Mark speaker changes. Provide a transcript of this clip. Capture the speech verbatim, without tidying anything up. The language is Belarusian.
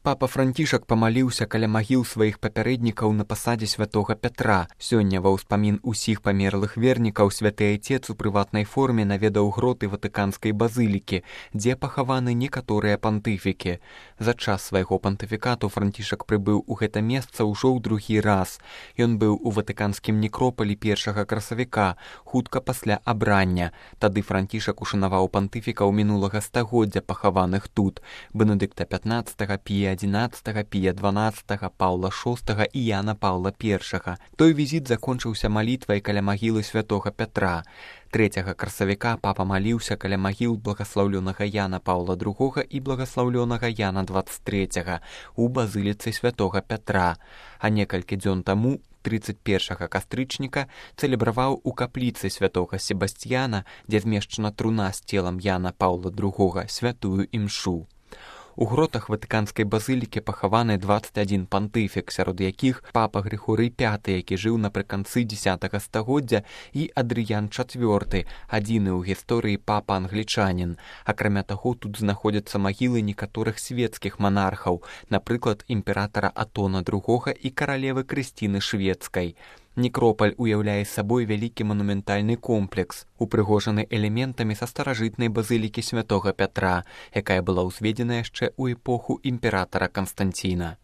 Speaker 1: Папа Францішак памаліўся каля магіл сваіх папярэднікаў на пасадзе святога Пятра. Сёння ва ўспамін усіх памерлых вернікаў святы айцец у прыватнай форме наведаў гроты ватыканскай базылікі, дзе пахаваны некаторыя пантыфікі. За час свайго пантыфікату Францішак прыбыў у гэта месца ўжо ў другі раз. Ён быў у ватыканскім некропалі першага красавіка, хутка пасля абрання. Тады Францішак ушанаваў пантыфікаў мінулага стагоддзя, пахаваных тут: Бенедыкта пятнаццатага, Пія адзінаццатага, Пія дванаццатага, Паўла шостага і Яна Паўла першага. Той візіт закончыўся малітвай каля магілы святога Пятра. Трэцяга красавіка папа маліўся каля магіл благаслаўлёнага Яна Паўла другога і благаслаўлёнага Яна дваццаць трэцяга у базыліцы святога Пятра. А некалькі дзён таму, трыццаць першага кастрычніка, цэлебраваў у капліцы святога Себасцьяна, дзе змешчана труна з целам Яна Паўла другога, святую імшу. У гротах ватыканскай базылікі пахаваны дваццаць адзін пантыфік, сярод якіх папа Грыгорый пяты, які жыў напрыканцы дзесятага стагоддзя, і Адрыян чацвёрты, адзіны ў гісторыі папа-англічанін. Акрамя таго, тут знаходзяцца магілы некаторых свецкіх манархаў, напрыклад, імператара Атона другога і каралевы Крысціны шведскай. Некропаль уяўляе сабой вялікі манументальны комплекс, упрыгожаны элементамі са старажытнай базылікі святога Пятра, якая была ўзведзена яшчэ ў эпоху імператара Канстанціна.